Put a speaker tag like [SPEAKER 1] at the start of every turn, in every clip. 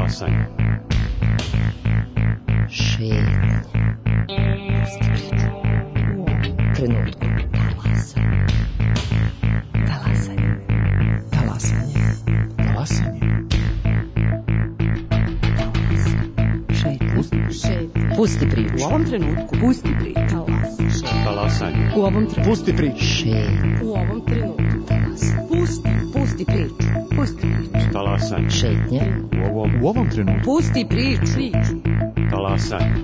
[SPEAKER 1] Talasanje.
[SPEAKER 2] Šetnje. Trenutku. Talasanje. Talasanje. Talasanje. Šetnje. Pusti priču.
[SPEAKER 3] U ovom trenutku.
[SPEAKER 2] Pusti priču.
[SPEAKER 1] Talasanje.
[SPEAKER 3] U ovom trenutku.
[SPEAKER 4] Pusti priču.
[SPEAKER 2] Šetnje.
[SPEAKER 3] U ovom trenutku. Pusti priču. Pusti priču.
[SPEAKER 1] Talasanje.
[SPEAKER 2] Šetnje.
[SPEAKER 4] U ovom trenutku.
[SPEAKER 3] Pusti priču.
[SPEAKER 1] Talasanje.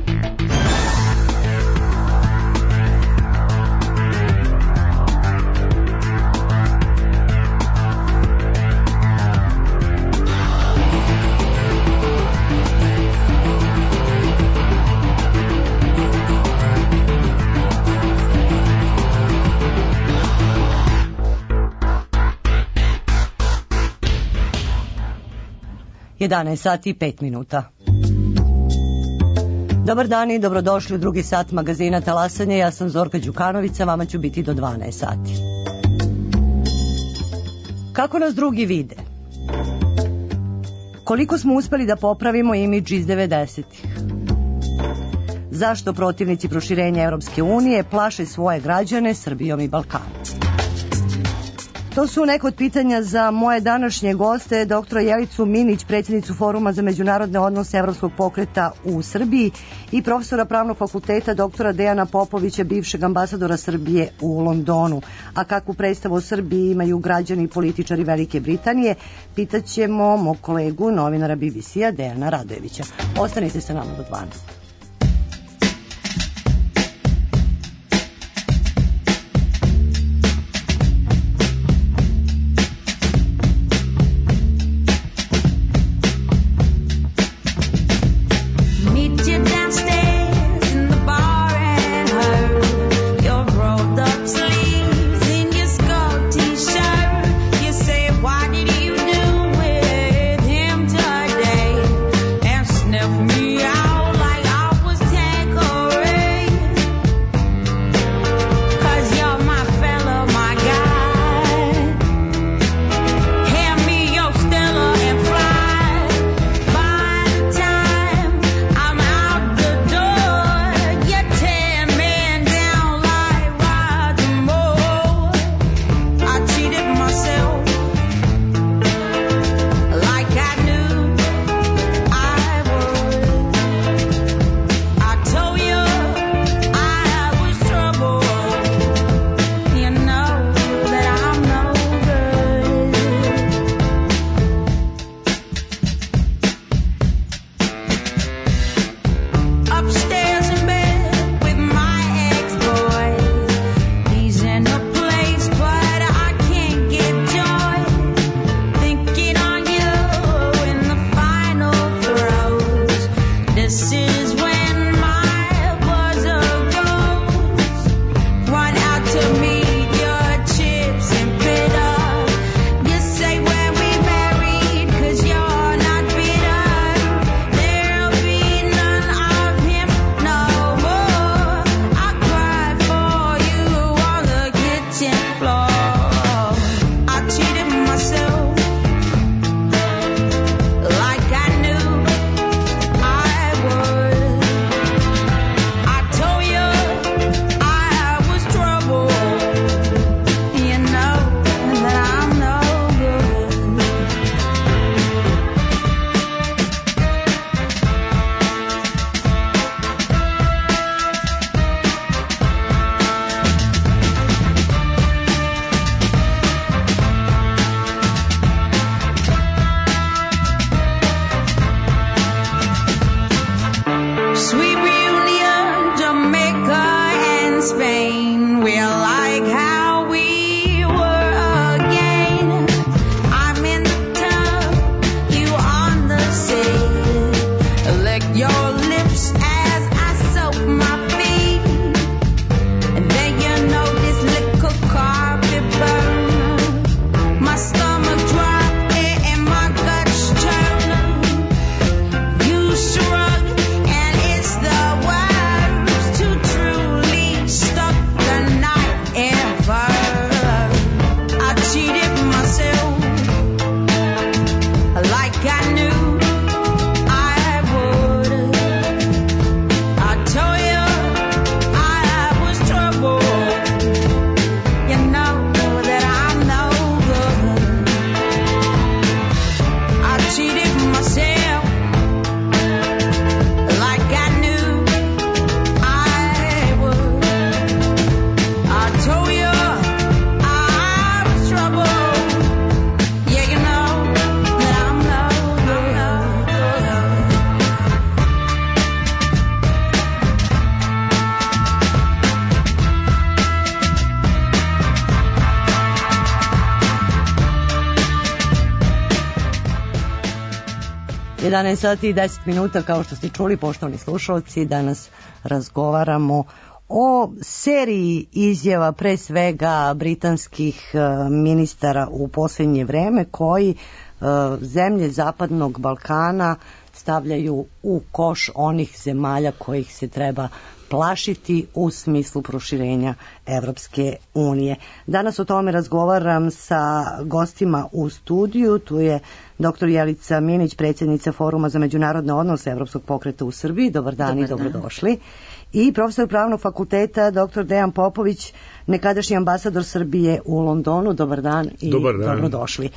[SPEAKER 5] Sati i 5 minuta. Dobar dan i dobrodošli u drugi sat magazina Talasanje. Ja sam Zorka Đukanovića, vama ću biti do 12 sati. Kako nas drugi vide? Koliko smo uspeli da popravimo imidž iz 90-ih? Zašto protivnici proširenja Evropske unije plaše svoje građane Srbijom i Balkanom? To su neko od pitanja za moje današnje goste, doktora Jelicu Minić, predsjednicu Foruma za međunarodne odnose Evropskog pokreta u Srbiji, i profesora Pravnog fakulteta doktora Dejana Popovića, bivšeg ambasadora Srbije u Londonu. A kakvu predstavu o Srbiji imaju građani i političari Velike Britanije, pitaćemo mog kolegu, novinara BBC-a Dejana Radojevića. Ostanite sa nama do 12.
[SPEAKER 6] Me out like I
[SPEAKER 5] 11 sati i 10 minuta, kao što ste čuli, poštovani slušalci, danas razgovaramo o seriji izjava, pre svega britanskih ministara u posljednje vreme, koji zemlje Zapadnog Balkana stavljaju u koš onih zemalja kojih se treba plašiti u smislu proširenja Evropske unije. Danas o tome razgovaram sa gostima u studiju. Tu je dr. Jelica Minić, predsjednica Foruma za međunarodne odnose Evropskog pokreta u Srbiji. Dobar dan i dobrodošli. I profesor Pravnog fakulteta dr. Dejan Popović, nekadašnji ambasador Srbije u Londonu. Dobar dan i dobrodošli.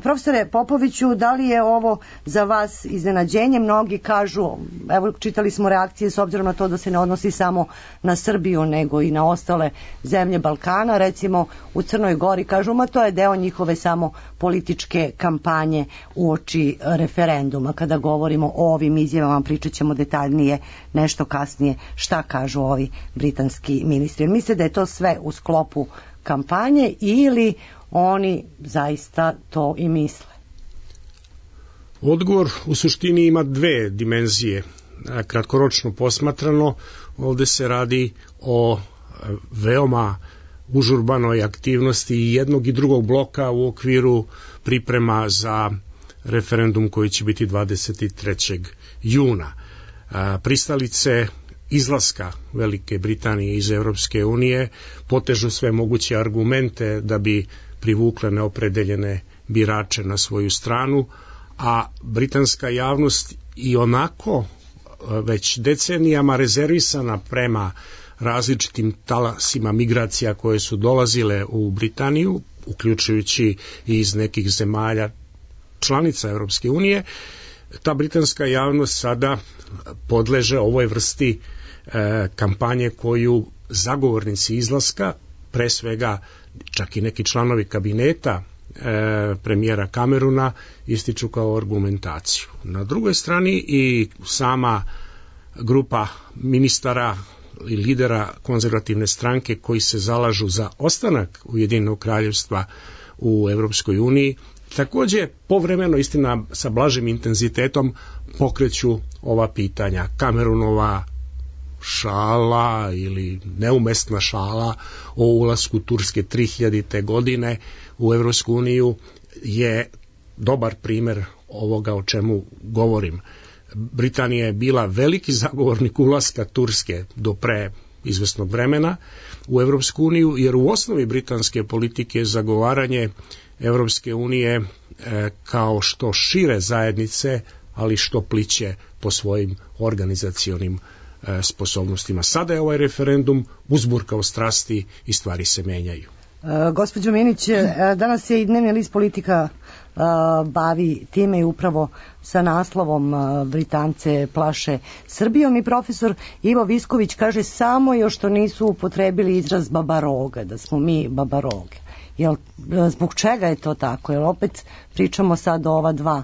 [SPEAKER 5] Profesore Popoviću, da li je ovo za vas iznenađenje? Mnogi kažu, evo čitali smo reakcije s obzirom na to da se ne odnosi samo na Srbiju nego i na ostale zemlje Balkana, recimo u Crnoj Gori kažu, ma to je deo njihove samo političke kampanje uoči referenduma. Kada govorimo o ovim izjavama, pričat ćemo detaljnije nešto kasnije šta kažu ovi britanski ministri. Mislite da je to sve u sklopu kampanje ili oni zaista to i misle?
[SPEAKER 4] Odgovor u suštini ima dve dimenzije. Kratkoročno posmatrano, ovde se radi o veoma užurbanoj aktivnosti jednog i drugog bloka u okviru priprema za referendum koji će biti 23. juna. Pristalice izlaska Velike Britanije iz Evropske unije potežu sve moguće argumente da bi privukle neopredeljene birače na svoju stranu, a britanska javnost i onako već decenijama rezervisana prema različitim talasima migracija koje su dolazile u Britaniju, uključujući i iz nekih zemalja članica Evropske unije, ta britanska javnost sada podleže ovoj vrsti kampanje koju zagovornici izlaska, pre svega čak i neki članovi kabineta premijera Cameruna, ističu kao argumentaciju. Na drugoj strani i sama grupa ministara i lidera konzervativne stranke koji se zalažu za ostanak Ujedinjenog kraljevstva u Evropskoj uniji, takođe povremeno, istina sa blažim intenzitetom, pokreću ova pitanja. Cameronova šala ili neumestna šala o ulasku Turske 3000. godine u Evropsku uniju je dobar primer ovoga o čemu govorim. Britanija je bila veliki zagovornik ulaska Turske do pre izvesnog vremena u Evropsku uniju, jer u osnovi britanske politike je zagovaranje Evropske unije kao što šire zajednice, ali što pliće po svojim organizacionim sposobnostima. Sada je ovaj referendum uzburkao strasti i stvari se menjaju.
[SPEAKER 5] Gospođo Minić, danas se i dnevni list Politika bavi time i upravo sa naslovom Britance plaše Srbijom, i profesor Ivo Visković kaže samo još što nisu upotrebili izraz babaroga, da smo mi babaroge. Zbog čega je to tako? Jer opet pričamo sad o ova dva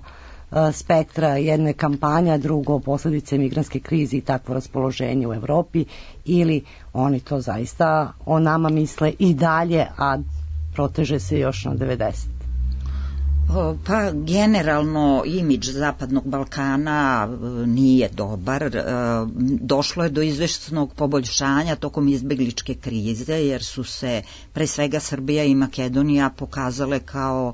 [SPEAKER 5] spektra, jedne kampanja, drugo posljedice migrantske krize i takvo raspoloženje u Evropi, ili oni to zaista o nama misle i dalje, a proteže se još na 90.
[SPEAKER 3] Pa generalno imidž Zapadnog Balkana nije dobar. Došlo je do izvesnog poboljšanja tokom izbegličke krize, jer su se pre svega Srbija i Makedonija pokazale kao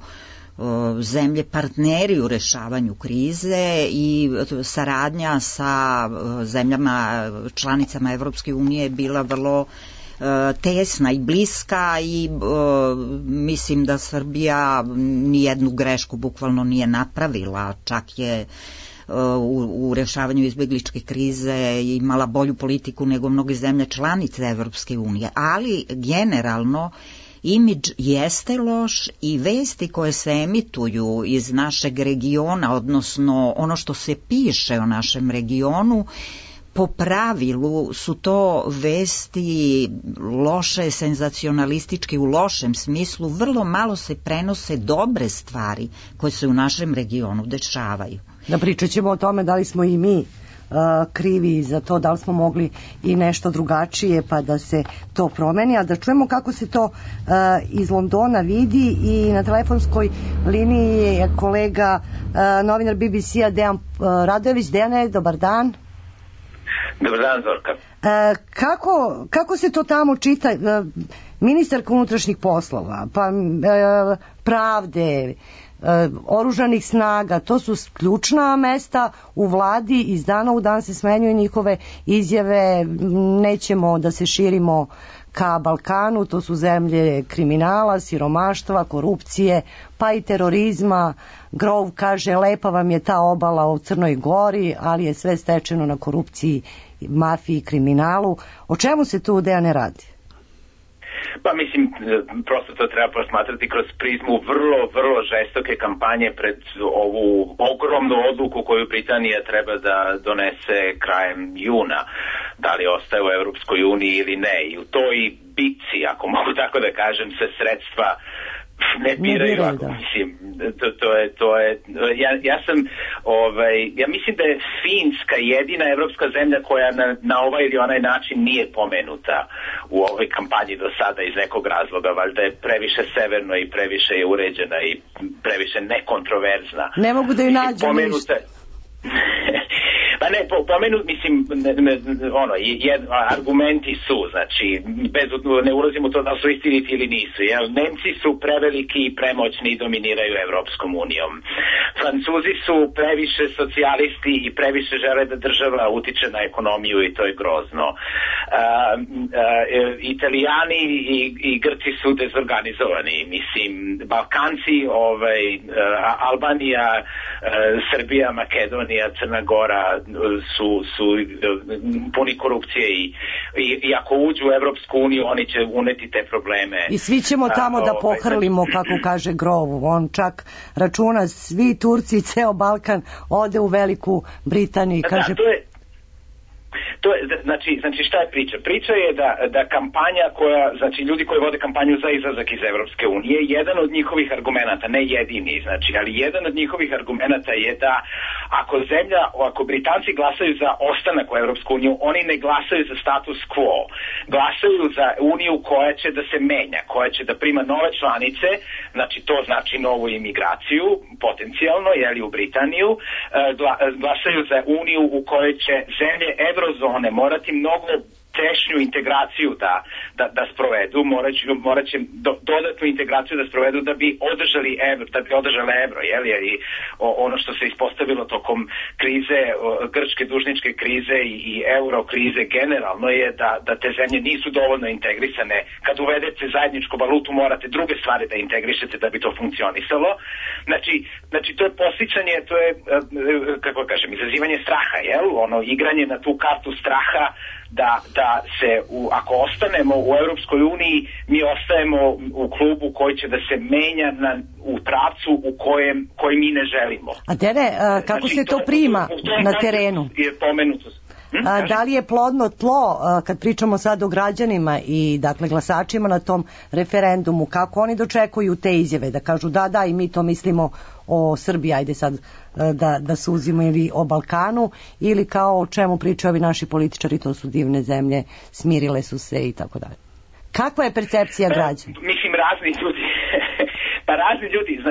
[SPEAKER 3] zemlje partneri u rešavanju krize, i saradnja sa zemljama članicama Evropske unije je bila vrlo tesna i bliska, i mislim da Srbija nijednu grešku bukvalno nije napravila, čak je u rešavanju izbegličke krize imala bolju politiku nego mnoge zemlje članice Evropske unije, ali generalno imidž jeste loš i vesti koje se emituju iz našeg regiona, odnosno ono što se piše o našem regionu, po pravilu su to vesti loše, senzacionalistički u lošem smislu, vrlo malo se prenose dobre stvari koje se u našem regionu dešavaju.
[SPEAKER 5] Da pričat ćemo o tome da li smo i mi krivi za to, da li smo mogli i nešto drugačije pa da se to promeni, a da čujemo kako se to iz Londona vidi. I na telefonskoj liniji je kolega novinar BBC-a Dejan Radojević. Dejane, dobar dan.
[SPEAKER 6] Dobar dan, Zorka.
[SPEAKER 5] Kako se to tamo čita? Ministarka unutrašnjih poslova, pa pravde, oružanih snaga, to su ključna mesta u vladi, iz dana u dan se smenjuju njihove izjave, nećemo da se širimo ka Balkanu, to su zemlje kriminala, siromaštva, korupcije, pa i terorizma. Grove kaže, lepa vam je ta obala u Crnoj Gori, ali je sve stečeno na korupciji, mafiji i kriminalu. O čemu se tu, Dejane, radi?
[SPEAKER 6] Pa mislim, prosto to treba posmatrati kroz prizmu vrlo žestoke kampanje pred ovu ogromnu odluku koju Britanija treba da donese krajem juna. Da li ostaje u Evropskoj uniji ili ne. I u toj bitci, ako mogu tako da kažem, se sredstva ne biraju, mislim, ja mislim da je Finska jedina evropska zemlja koja na ovaj ili onaj način nije pomenuta u ovoj kampanji do sada iz nekog razloga, valjda je previše severno i previše je uređena i previše nekontroverzna.
[SPEAKER 5] Ne mogu da ju nađu ništa.
[SPEAKER 6] Pa ne, mislim, argumenti su, znači, ne ulazimo u to da su istiniti ili nisu, jer Nemci su preveliki i premoćni i dominiraju Evropskom unijom. Francuzi su previše socijalisti i previše žele da država utiče na ekonomiju i to je grozno. Italijani i Grci su dezorganizovani, mislim, Balkanci, Albanija, Srbija, Makedonija, Crna Gora su puni korupcije i ako uđu u Evropsku uniju oni će uneti te probleme.
[SPEAKER 5] I svi ćemo tamo da pohrlimo, kako kaže Grove. On čak računa svi Turci i ceo Balkan ode u Veliku Britaniju. Kaže...
[SPEAKER 6] Znači šta je priča? Priča je da kampanja znači ljudi koji vode kampanju za izlazak iz Evropske unije, jedan od njihovih argumenata, ne jedini, znači, ali jedan od njihovih argumenata je da ako Britanci glasaju za ostanak u Evropsku uniju, oni ne glasaju za status quo, glasaju za uniju koja će da se menja, koja će da prima nove članice, znači to znači novu imigraciju, potencijalno, u Britaniju, glasaju za uniju u kojoj će zemlje Eurozone morati mnogo tešnju integraciju da sprovedu, morat će dodatnu integraciju da sprovedu da bi održali evro, i ono što se ispostavilo tokom krize, grčke dužničke krize i euro krize generalno je da te zemlje nisu dovoljno integrisane. Kad uvedete zajedničku valutu morate druge stvari da integrišete da bi to funkcionisalo. Znači to je podsjećanje, to je, kako kažem, izazivanje straha, igranje na tu kartu straha da se, ako ostanemo u Europskoj uniji, mi ostajemo u klubu koji će da se menja u pravcu koji mi ne želimo.
[SPEAKER 5] A Dere, kako se to prima na terenu? Da li je plodno tlo, kad pričamo sad o građanima i dakle glasačima na tom referendumu, kako oni dočekuju te izjave, da kažu da i mi to mislimo o Srbiji, ajde sad da suzimo, ili o Balkanu, ili kao o čemu pričaju ovi naši političari, to su divne zemlje, smirile su se i tako dalje. Kakva je percepcija građana?
[SPEAKER 6] Mislim, razni ljudi,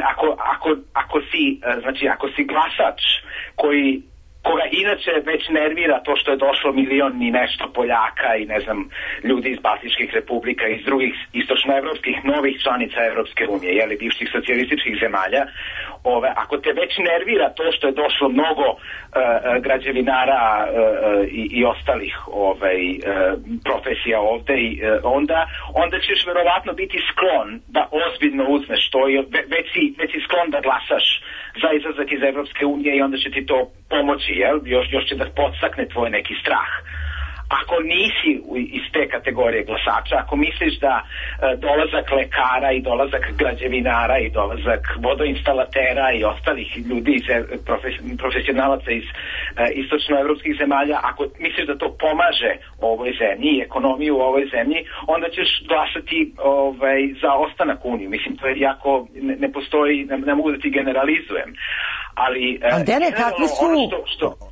[SPEAKER 6] ako si glasač koga inače već nervira to što je došlo milion i nešto Poljaka i ne znam ljudi iz Baltičkih republika i iz drugih istočnoevropskih novih članica Evropske unije, bivših socijalističkih zemalja, ako te već nervira to što je došlo mnogo građevinara i ostalih profesija ovde, onda ćeš verovatno biti sklon da ozbiljno uzmeš to, već si sklon da glasaš za izlazak iz Evropske unije i onda će ti to pomoći, još će da podstakne tvoj neki strah. Ako nisi iz te kategorije glasača, ako misliš da dolazak lekara i dolazak građevinara i dolazak vodoinstalatera i ostalih ljudi, profesionalaca iz istočnoevropskih zemalja, ako misliš da to pomaže ovoj zemlji i ekonomiju u ovoj zemlji, onda ćeš glasati za ostanak u Uniju. Mislim, to je jako, ne postoji, ne mogu da ti generalizujem. Ali
[SPEAKER 5] Dere,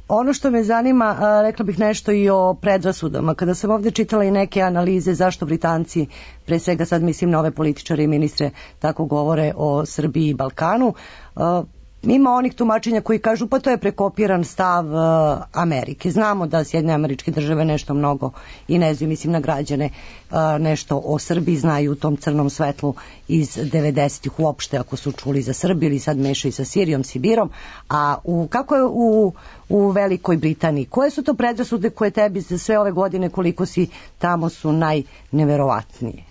[SPEAKER 5] Ono što me zanima, rekla bih nešto i o predrasudama. Kada sam ovde čitala i neke analize zašto Britanci, pre svega sad mislim na ove političare i ministre, tako govore o Srbiji i Balkanu, ima onih tumačenja koji kažu pa to je prekopiran stav Amerike. Znamo da Sjedinjene Američke Države nešto mnogo i ne znam, mislim na građane, nešto o Srbiji znaju u tom crnom svetlu iz 90-ih uopšte, ako su čuli za Srbiju ili sad mešaju sa Sirijom, Sibirom. A kako je u Velikoj Britaniji? Koje su to predrasude koje tebi za sve ove godine koliko si tamo su najneverovatnije?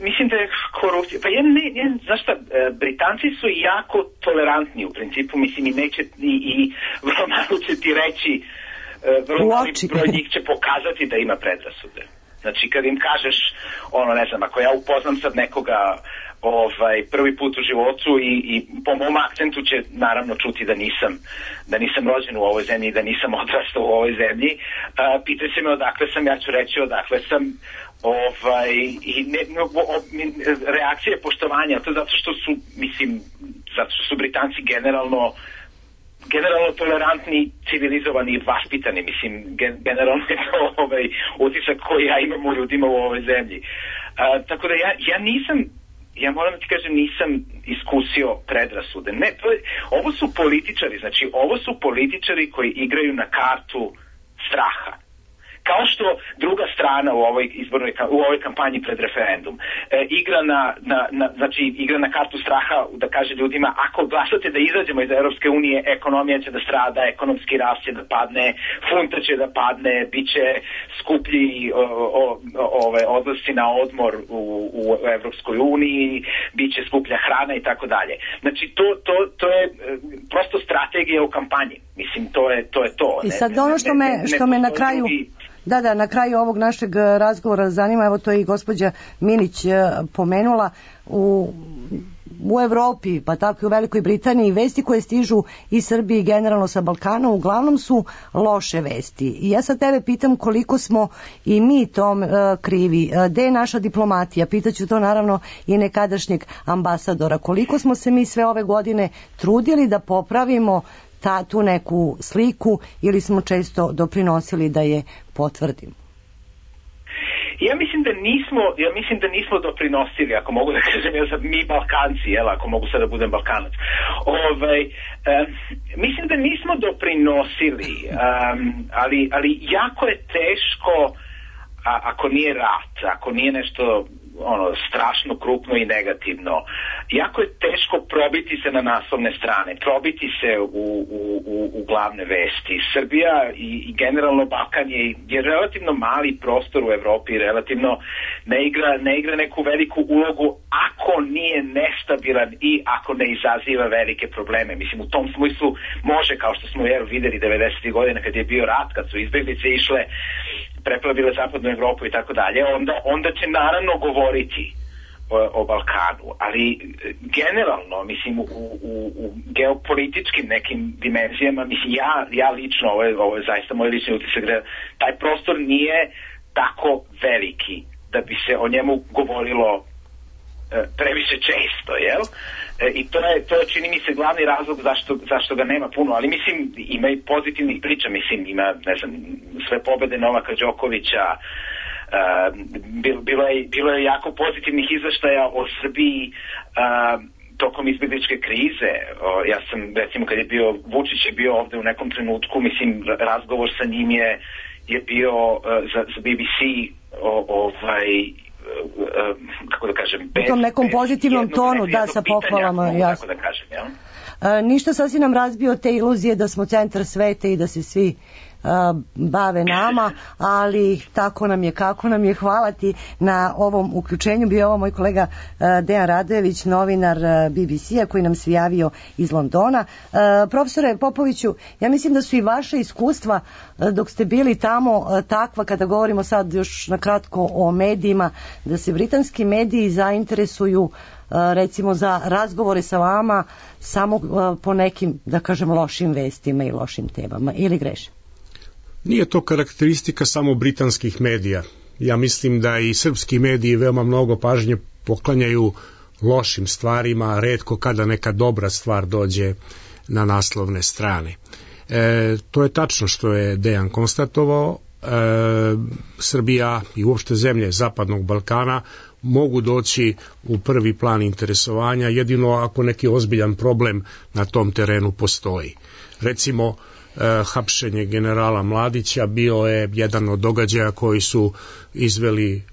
[SPEAKER 6] Mislim da je korupcija. Pa znaš šta, Britanci su jako tolerantni u principu, mislim i neće i vrlo malo će ti reći, vrlo mali broj njih će pokazati da ima predrasude. Znači kad im kažeš, ne znam, ako ja upoznam sad nekoga prvi put u životu i po mom akcentu će naravno čuti da nisam rođen u ovoj zemlji i da nisam odrastao u ovoj zemlji. Pitaju se me odakle sam, ja ću reći odakle sam, reakcije poštovanja, to zato što su Britanci generalno tolerantni, civilizovani i vaspitani, mislim, generalno je to utisak koji ja imam u ljudima u ovoj zemlji. Tako da ja moram da ti kažem, nisam iskusio predrasude. Ne, ovo su političari, znači ovo su političari koji igraju na kartu straha. Kao što druga strana u ovoj kampanji pred referendum igra na kartu straha da kaže ljudima ako glasate da izađemo iz Europske unije, ekonomija će da strada, ekonomski rast će da padne, funta će da padne, bit će skuplji odlasci na odmor u Europskoj uniji, bit će skuplja hrana i tako dalje. Znači to je prosto strategija u kampanji. Mislim, to je to.
[SPEAKER 5] I sad ono što me na kraju... Da, na kraju ovog našeg razgovora zanima, evo to je i gospođa Minić pomenula, u Evropi, pa tako i u Velikoj Britaniji, vesti koje stižu iz Srbije i generalno sa Balkana uglavnom su loše vesti. I ja sad tebe pitam koliko smo i mi tom krivi, gde je naša diplomatija, pitaću to naravno i nekadašnjeg ambasadora, koliko smo se mi sve ove godine trudili da popravimo tu neku sliku ili smo često doprinosili da je potvrdimo?
[SPEAKER 6] Ja mislim da nismo doprinosili, ako mogu da kažem, mi Balkanci, ako mogu sad da budem Balkanac. Mislim da nismo doprinosili, ali jako je teško, ako nije rat, ako nije nešto strašno krupno i negativno, jako je teško probiti se na naslovne strane, probiti se u glavne vesti. Srbija i generalno Balkan je relativno mali prostor u Evropi, relativno ne igra neku veliku ulogu ako nije nestabilan i ako ne izaziva velike probleme. Mislim, u tom smislu može, kao što smo videli 90. godina kad je bio rat, kad su izbeglice išle, preplavile zapadnu Evropu i tako dalje, onda će naravno govoriti o Balkanu, ali generalno, mislim, u geopolitičkim nekim dimenzijama, mislim, ja lično, ovo je zaista moj lični utisak, da taj prostor nije tako veliki da bi se o njemu govorilo previše često, jel? I to je čini mi se glavni razlog zašto ga nema puno, ali mislim ima i pozitivnih priča, mislim ima, ne znam, sve pobede Novaka Đokovića, bilo je jako pozitivnih izveštaja o Srbiji tokom izbjegličke krize. Ja sam, recimo, kad je bio Vučić je bio ovde u nekom trenutku, mislim, razgovor sa njim je bio za BBC kako da kažem,
[SPEAKER 5] u tom nekom pozitivnom tonu, da, sa pohvalama, jasno.
[SPEAKER 6] Da kažem, ja?
[SPEAKER 5] Ništa, sasvim nam razbio te iluzije da smo centar sveta i da se svi bave nama, ali tako nam je, kako nam je. Hvala ti na ovom uključenju. Bio ovo moj kolega Dejan Radojević, novinar BBC-a koji nam se javio iz Londona. Profesore Popoviću, ja mislim da su i vaše iskustva dok ste bili tamo takva, kada govorimo sad još na kratko o medijima, da se britanski mediji zainteresuju recimo za razgovore sa vama samo po nekim, da kažem, lošim vestima i lošim temama, ili grešim?
[SPEAKER 4] Nije to karakteristika samo britanskih medija. Ja mislim da i srpski mediji veoma mnogo pažnje poklanjaju lošim stvarima, retko kada neka dobra stvar dođe na naslovne strane. To je tačno što je Dejan konstatovao. Srbija i uopšte zemlje Zapadnog Balkana mogu doći u prvi plan interesovanja jedino ako neki ozbiljan problem na tom terenu postoji. Recimo, hapšenje generala Mladića bio je jedan od događaja koji su izveli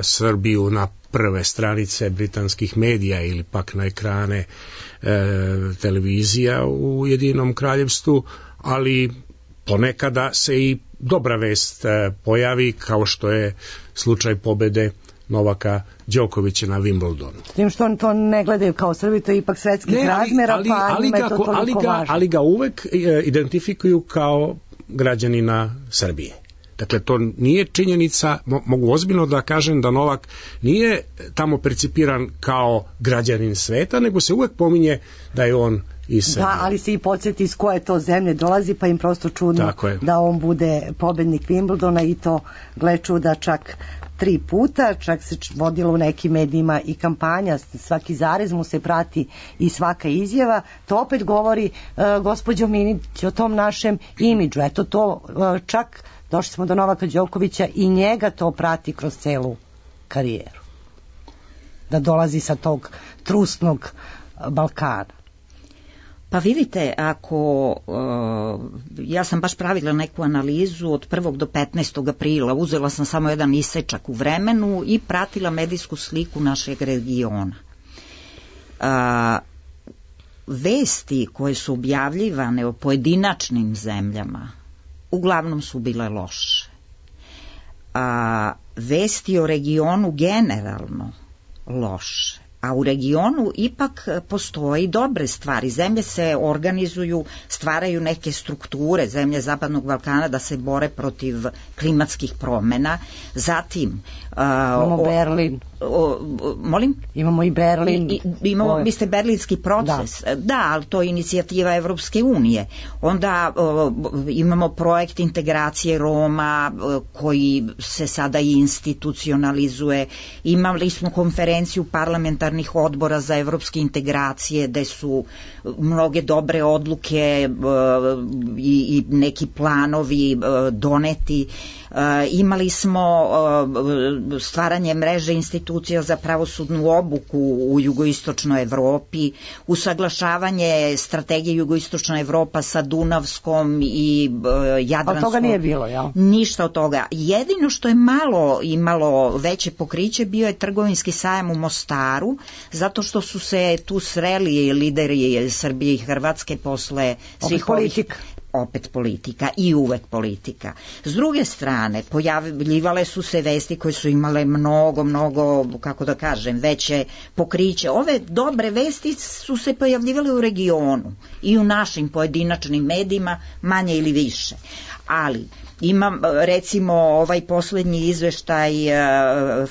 [SPEAKER 4] Srbiju na prve stranice britanskih medija ili pak na ekrane televizija u Ujedinjenom Kraljevstvu, ali ponekada se i dobra vest pojavi, kao što je slučaj pobede Novaka Đokovića na Wimbledonu.
[SPEAKER 5] S tim što oni to ne gledaju kao Srbi, to je ipak svetskih razmera, pa njima je to toliko važno.
[SPEAKER 4] Ali ga uvek identifikuju kao građanina Srbije. Dakle, to nije činjenica, mogu ozbiljno da kažem da Novak nije tamo percipiran kao građanin sveta, nego se uvek pominje da je on iz Srbije.
[SPEAKER 5] Da, ali se i podsjeti iz koje to zemlje dolazi, pa im prosto čudno da on bude pobednik Wimbledona i to, gle čuda, čak 3 puta, čak se vodilo u nekim medijima i kampanja, svaki zarez mu se prati i svaka izjava. To opet govori, gospođo Minić, o tom našem imidžu. Eto to čak došli smo do Novaka Đokovića i njega to prati kroz celu karijeru. Da dolazi sa tog trusnog Balkana.
[SPEAKER 3] Pa vidite, ako ja sam baš pravila neku analizu od 1. do 15. aprila, uzela sam samo jedan isečak u vremenu i pratila medijsku sliku našeg regiona. Vesti koje su objavljivane o pojedinačnim zemljama uglavnom su bile loše. Vesti o regionu generalno loše. A u regionu ipak postoji dobre stvari. Zemlje se organizuju, stvaraju neke strukture, zemlje Zapadnog Balkana, da se bore protiv klimatskih promjena. Zatim
[SPEAKER 5] imamo Berlin.
[SPEAKER 3] Molim?
[SPEAKER 5] Imamo i Berlin.
[SPEAKER 3] Imamo, mislite, berlinski proces. Da, ali to je inicijativa Evropske unije. Onda imamo projekt integracije Roma koji se sada i institucionalizuje. Imali smo konferenciju parlamentarnih odbora za evropske integracije gde su mnoge dobre odluke i neki planovi doneti. Imali smo stvaranje mreže institucija za pravosudnu obuku u jugoistočnoj Evropi, usaglašavanje strategije jugoistočna Evropa sa Dunavskom i Jadranskom.
[SPEAKER 5] Ali toga nije bilo, jel?
[SPEAKER 3] Ništa od toga. Jedino što je malo imalo veće pokriće bio je trgovinski sajam u Mostaru, zato što su se tu sreli lideri Srbije i Hrvatske posle svih ovih... Opet politika i uvek politika. S druge strane, pojavljivale su se vesti koje su imale mnogo, kako da kažem, veće pokriće. Ove dobre vesti su se pojavljivale u regionu i u našim pojedinačnim medijima, manje ili više. Ali imam recimo ovaj poslednji izveštaj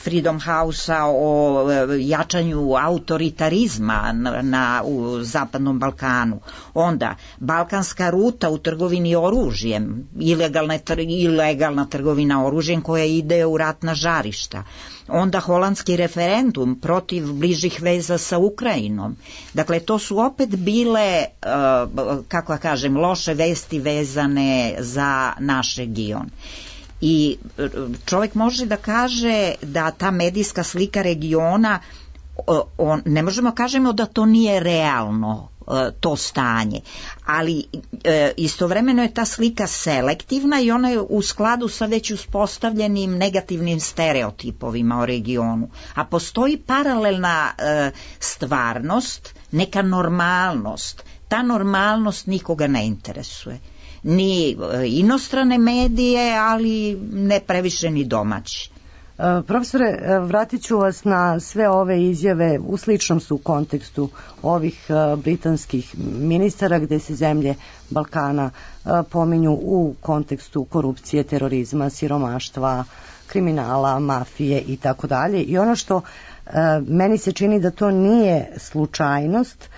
[SPEAKER 3] Freedom House-a o jačanju autoritarizma u Zapadnom Balkanu. Onda balkanska ruta u trgovini oružjem, ilegalna trgovina oružjem koja ide u ratna žarišta. Onda holandski referendum protiv bližih veza sa Ukrajinom. Dakle, to su opet bile, kako ja kažem, loše vesti vezane za naš region. I čovjek može da kaže da ta medijska slika regiona, ne možemo kažemo da to nije realno, to stanje, ali istovremeno je ta slika selektivna i ona je u skladu sa već uspostavljenim negativnim stereotipovima o regionu, a postoji paralelna stvarnost, neka normalnost. Ta normalnost nikoga ne interesuje, ni inostrane medije, ali ne previše ni domaći.
[SPEAKER 5] Profesore, vratit ću vas na sve ove izjave, u sličnom su kontekstu ovih britanskih ministara gde se zemlje Balkana pominju u kontekstu korupcije, terorizma, siromaštva, kriminala, mafije i tako dalje. I ono što meni se čini da to nije slučajnost,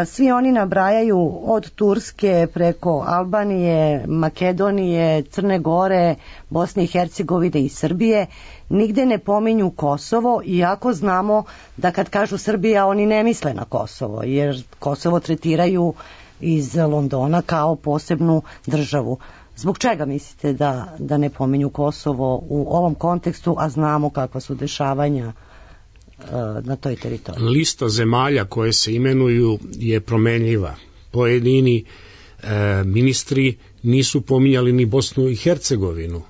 [SPEAKER 5] svi oni nabrajaju od Turske preko Albanije, Makedonije, Crne Gore, Bosne i Hercegovine i Srbije, nigde ne pominju Kosovo, iako znamo da kad kažu Srbija oni ne misle na Kosovo, jer Kosovo tretiraju iz Londona kao posebnu državu. Zbog čega mislite da ne pominju Kosovo u ovom kontekstu, a znamo kakva su dešavanja na toj teritoriji?
[SPEAKER 4] Lista zemalja koje se imenuju je promenljiva. Pojedini ministri nisu pominjali ni Bosnu i Hercegovinu,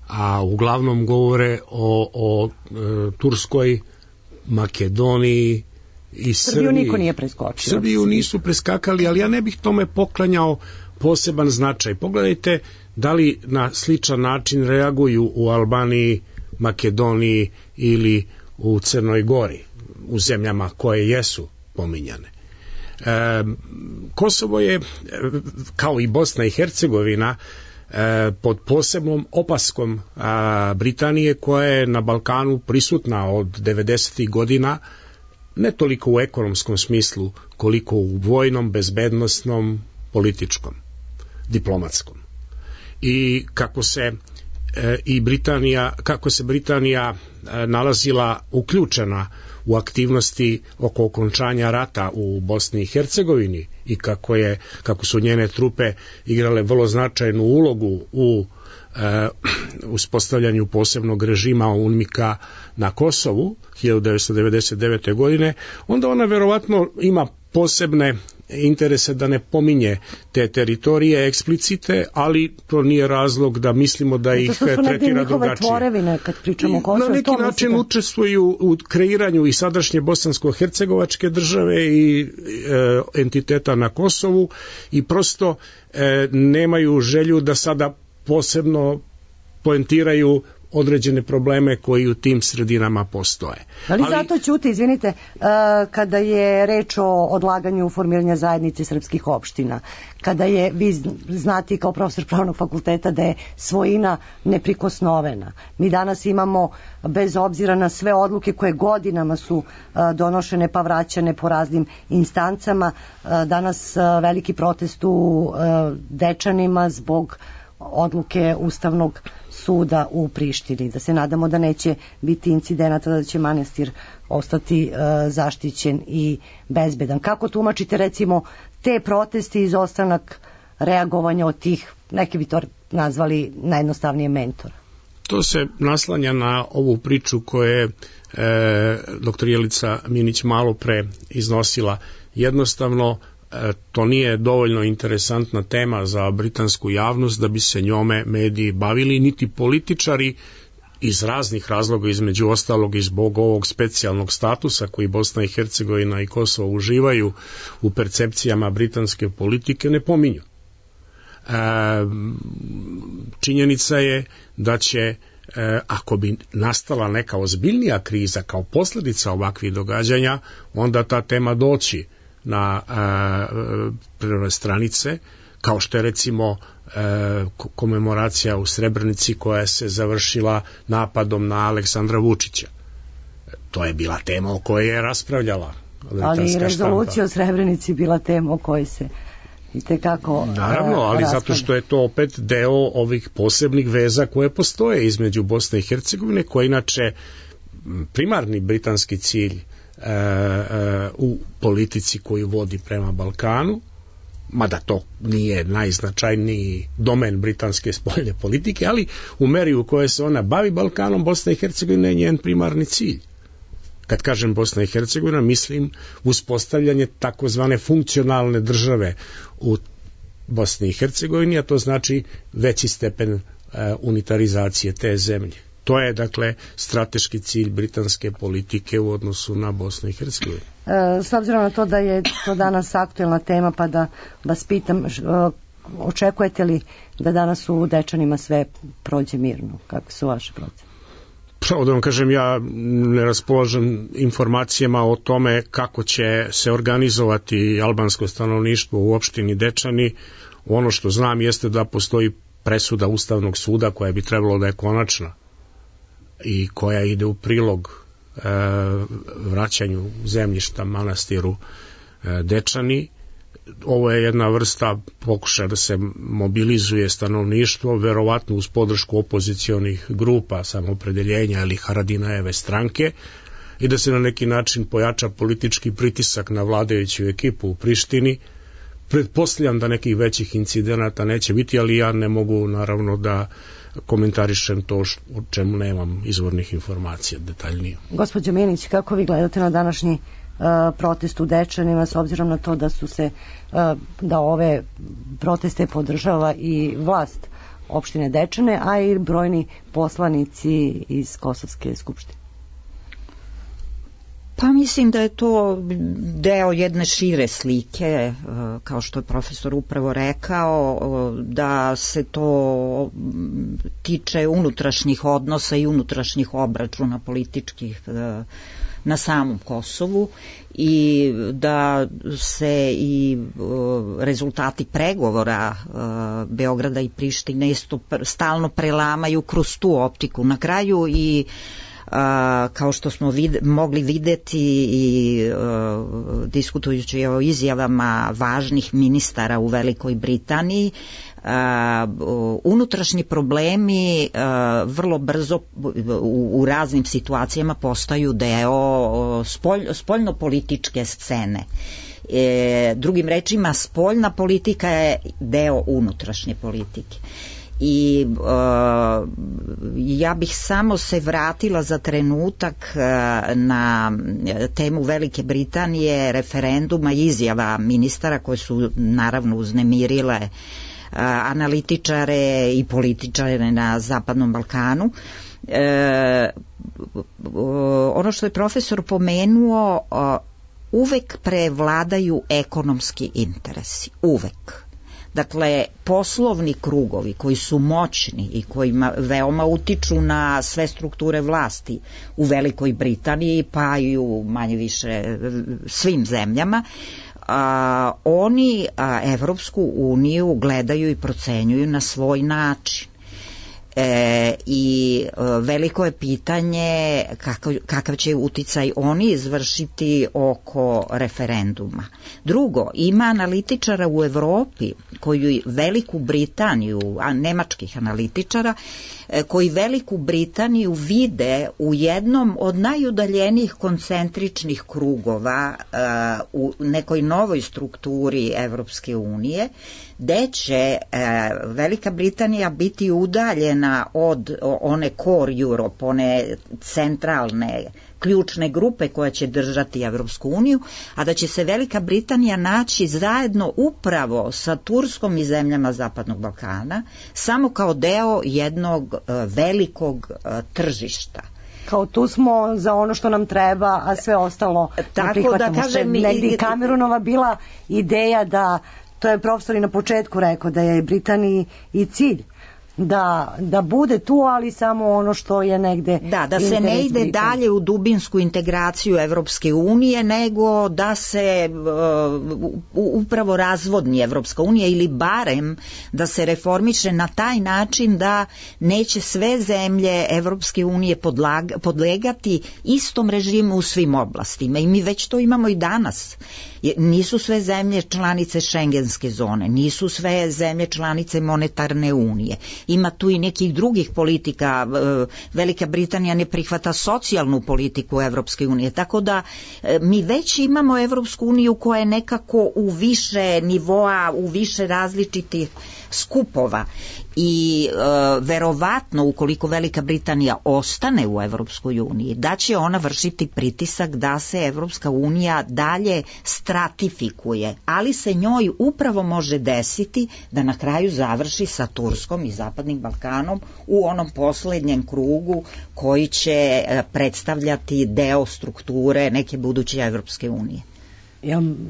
[SPEAKER 4] a uglavnom govore o Turskoj, Makedoniji i Srbiji.
[SPEAKER 5] Srbiju niko nije preskočio.
[SPEAKER 4] Srbiju nisu preskakali, ali ja ne bih tome poklanjao poseban značaj. Pogledajte da li na sličan način reaguju u Albaniji, Makedoniji ili u Crnoj Gori, u zemljama koje jesu pominjane. Kosovo je, kao i Bosna i Hercegovina, pod posebnom opaskom Britanije, koja je na Balkanu prisutna od 90. godina, ne toliko u ekonomskom smislu, koliko u vojnom, bezbednosnom, političkom, diplomatskom. I kako se Britanija nalazila uključena u aktivnosti oko okončanja rata u Bosni i Hercegovini i kako su njene trupe igrale vrlo značajnu ulogu u uspostavljanju posebnog režima UNMIK-a na Kosovu 1999. godine, onda ona verovatno ima posebne interese da ne pominje te teritorije eksplicite, ali to nije razlog da mislimo da ih tretira drugačije.
[SPEAKER 5] Tvorevine, kad pričamo o Kosovu,
[SPEAKER 4] na neki način učestvuju u kreiranju i sadašnje bosansko-hercegovačke države i entiteta na Kosovu i prosto nemaju želju da sada posebno poentiraju određene probleme koji u tim sredinama postoje.
[SPEAKER 5] Ali zato ćute, izvinite, kada je reč o odlaganju formiranja zajednice srpskih opština, kada je, vi znate kao profesor pravnog fakulteta, da je svojina neprikosnovena. Mi danas imamo, bez obzira na sve odluke koje godinama su donošene pa vraćane po raznim instancama, danas veliki protest u Dečanima zbog odluke Ustavnog suda u Prištini. Da se nadamo da neće biti incidenata, da će manastir ostati zaštićen i bezbedan. Kako tumačite recimo te protesti i izostanak reagovanja od tih, neki bi to nazvali najjednostavnije mentora?
[SPEAKER 4] To se naslanja na ovu priču koju je dr. Jelica Minić malo pre iznosila. Jednostavno to nije dovoljno interesantna tema za britansku javnost da bi se njome mediji bavili, niti političari iz raznih razloga, između ostalog i zbog ovog specijalnog statusa koji Bosna i Hercegovina i Kosovo uživaju u percepcijama britanske politike, ne pominju. Činjenica je da će, ako bi nastala neka ozbiljnija kriza kao posljedica ovakvih događanja, onda ta tema doći na prve stranice, kao što je recimo komemoracija u Srebrenici koja se završila napadom na Aleksandra Vučića. To je bila tema o kojoj je raspravljala
[SPEAKER 5] ali i rezolucija o Srebrenici bila tema o kojoj se itekako
[SPEAKER 4] naravno, ali zato što je to opet deo ovih posebnih veza koje postoje između Bosne i Hercegovine, koja je inače primarni britanski cilj u politici koju vodi prema Balkanu, mada to nije najznačajniji domen britanske spoljne politike, ali u meri u kojoj se ona bavi Balkanom, Bosna i Hercegovina je njen primarni cilj. Kad kažem Bosna i Hercegovina, mislim uspostavljanje takozvane funkcionalne države u Bosni i Hercegovini, a to znači veći stepen unitarizacije te zemlje. To je, dakle, strateški cilj britanske politike u odnosu na Bosnu i Hercegovinu.
[SPEAKER 5] S obzirom na to da je to danas aktuelna tema, pa da vas pitam, očekujete li da danas u Dečanima sve prođe mirno? Kako su vaše procene?
[SPEAKER 4] Pravo da vam kažem, ja ne raspolažem informacijama o tome kako će se organizovati albansko stanovništvo u opštini Dečani. Ono što znam jeste da postoji presuda Ustavnog suda koja bi trebalo da je konačna i koja ide u prilog vraćanju zemljišta manastiru Dečani. Ovo je jedna vrsta pokušaja da se mobilizuje stanovništvo, verovatno uz podršku opozicionih grupa Samoopredeljenja ili Haradinajeve stranke, i da se na neki način pojača politički pritisak na vladajuću ekipu u Prištini, Pretpostavljam da nekih većih incidenata neće biti, ali ja ne mogu naravno da komentarišem to o čemu nemam izvornih informacija detaljnije.
[SPEAKER 5] Gospođo Minić, kako vi gledate na današnji protest u Dečanima, s obzirom na to da ove proteste podržava i vlast opštine Dečane, a i brojni poslanici iz Kosovske skupštine?
[SPEAKER 3] Pa mislim da je to deo jedne šire slike, kao što je profesor upravo rekao, da se to tiče unutrašnjih odnosa i unutrašnjih obračuna političkih na samom Kosovu i da se i rezultati pregovora Beograda i Prištine isto stalno prelamaju kroz tu optiku. Na kraju i kao što smo mogli videti i diskutujući o izjavama važnih ministara u Velikoj Britaniji, unutrašnji problemi vrlo brzo u raznim situacijama postaju deo spoljnopolitičke scene. Drugim rečima, spoljna politika je deo unutrašnje politike. I ja bih samo se vratila za trenutak na temu Velike Britanije, referenduma i izjava ministara koje su naravno uznemirile analitičare i političare na Zapadnom Balkanu. Ono što je profesor pomenuo, uvek prevladaju ekonomski interesi, uvek. Dakle, poslovni krugovi koji su moćni i koji veoma utiču na sve strukture vlasti u Velikoj Britaniji, pa i u manje više svim zemljama, oni Evropsku uniju gledaju i procenjuju na svoj način. I veliko je pitanje kakav će uticaj oni izvršiti oko referenduma. Drugo, ima analitičara u Evropi koji Veliku Britaniju, nemačkih analitičara, koji Veliku Britaniju vide u jednom od najudaljenijih koncentričnih krugova u nekoj novoj strukturi Evropske unije, gde će Velika Britanija biti udaljena od one core Europe, one centralne ključne grupe koja će držati Evropsku uniju, a da će se Velika Britanija naći zajedno upravo sa Turskom i zemljama Zapadnog Balkana, samo kao deo jednog velikog tržišta.
[SPEAKER 5] Kao tu smo za ono što nam treba, a sve ostalo prihvatamo. Tako da kažem, negdje i Cameronova bila ideja da, to je profesor i na početku rekao, da je Britaniji i cilj da bude tu, ali samo ono što je negde
[SPEAKER 3] da se ne ide dalje u dubinsku integraciju Evropske unije, nego da se upravo razvodni Evropska unija, ili barem da se reformiše na taj način da neće sve zemlje Evropske unije podlegati istom režimu u svim oblastima. I mi već to imamo i danas. Nisu sve zemlje članice Šengenske zone, nisu sve zemlje članice monetarne unije. Ima tu i nekih drugih politika. Velika Britanija ne prihvata socijalnu politiku Evropske unije, tako da mi već imamo Evropsku uniju koja je nekako u više nivoa, u više različitih skupova. I verovatno, ukoliko Velika Britanija ostane u Evropskoj uniji, da će ona vršiti pritisak da se Evropska unija dalje stratifikuje, ali se njoj upravo može desiti da na kraju završi sa Turskom i Zapadnim Balkanom u onom poslednjem krugu koji će predstavljati deo strukture neke buduće Evropske unije.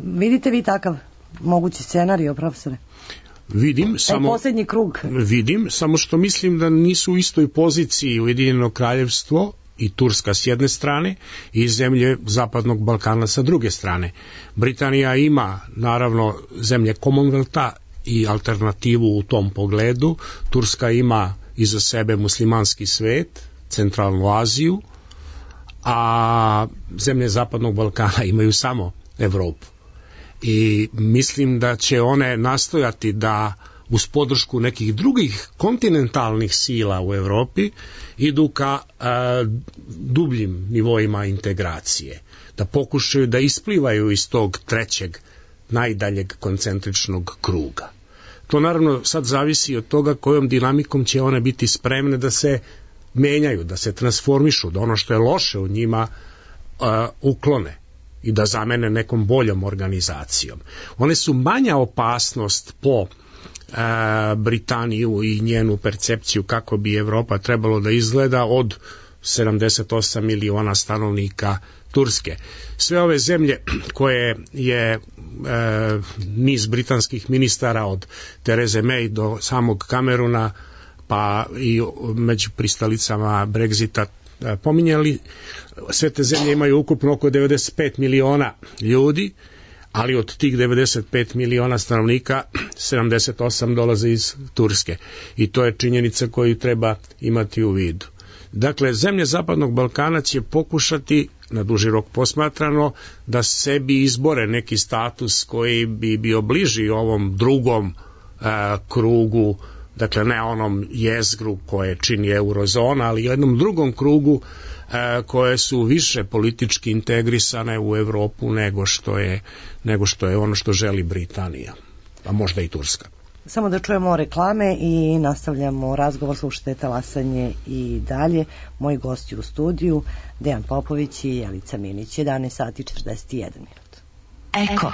[SPEAKER 5] Vidite vi takav mogući scenario, profesore?
[SPEAKER 4] Vidim, samo što mislim da nisu u istoj poziciji Ujedinjeno kraljevstvo i Turska s jedne strane i zemlje Zapadnog Balkana sa druge strane. Britanija ima naravno zemlje Commonwealtha i alternativu u tom pogledu. Turska ima iza sebe muslimanski svet, centralnu Aziju, a zemlje Zapadnog Balkana imaju samo Evropu. I mislim da će one nastojati da uz podršku nekih drugih kontinentalnih sila u Evropi idu ka dubljim nivoima integracije, da pokušaju da isplivaju iz tog trećeg najdaljeg koncentričnog kruga. To naravno sad zavisi od toga kojom dinamikom će one biti spremne da se menjaju, da se transformišu, da ono što je loše u njima uklone i da zamene nekom boljom organizacijom. One su manja opasnost po Britaniju i njenu percepciju kako bi Evropa trebalo da izgleda od 78 miliona stanovnika Turske. Sve ove zemlje koje je niz britanskih ministara od Therese May do samog Camerona pa i među pristalicama Brexita pominjali, sve te zemlje imaju ukupno oko 95 miliona ljudi, ali od tih 95 miliona stanovnika 78 dolaze iz Turske i to je činjenica koju treba imati u vidu. Dakle, zemlje Zapadnog Balkana će pokušati, na duži rok posmatrano, da sebi izbore neki status koji bi bio bliži ovom drugom krugu, dakle ne onom jezgru koje čini eurozona, ali jednom drugom krugu koje su više politički integrisane u Evropu nego što je ono što želi Britanija, a možda i Turska.
[SPEAKER 5] Samo da čujemo reklame i nastavljamo razgovor, slušajte Talasanje i dalje. Moji gosti u studiju, Dejan Popović i Jelica Minić, 11 sati 41 minut.
[SPEAKER 2] Eko.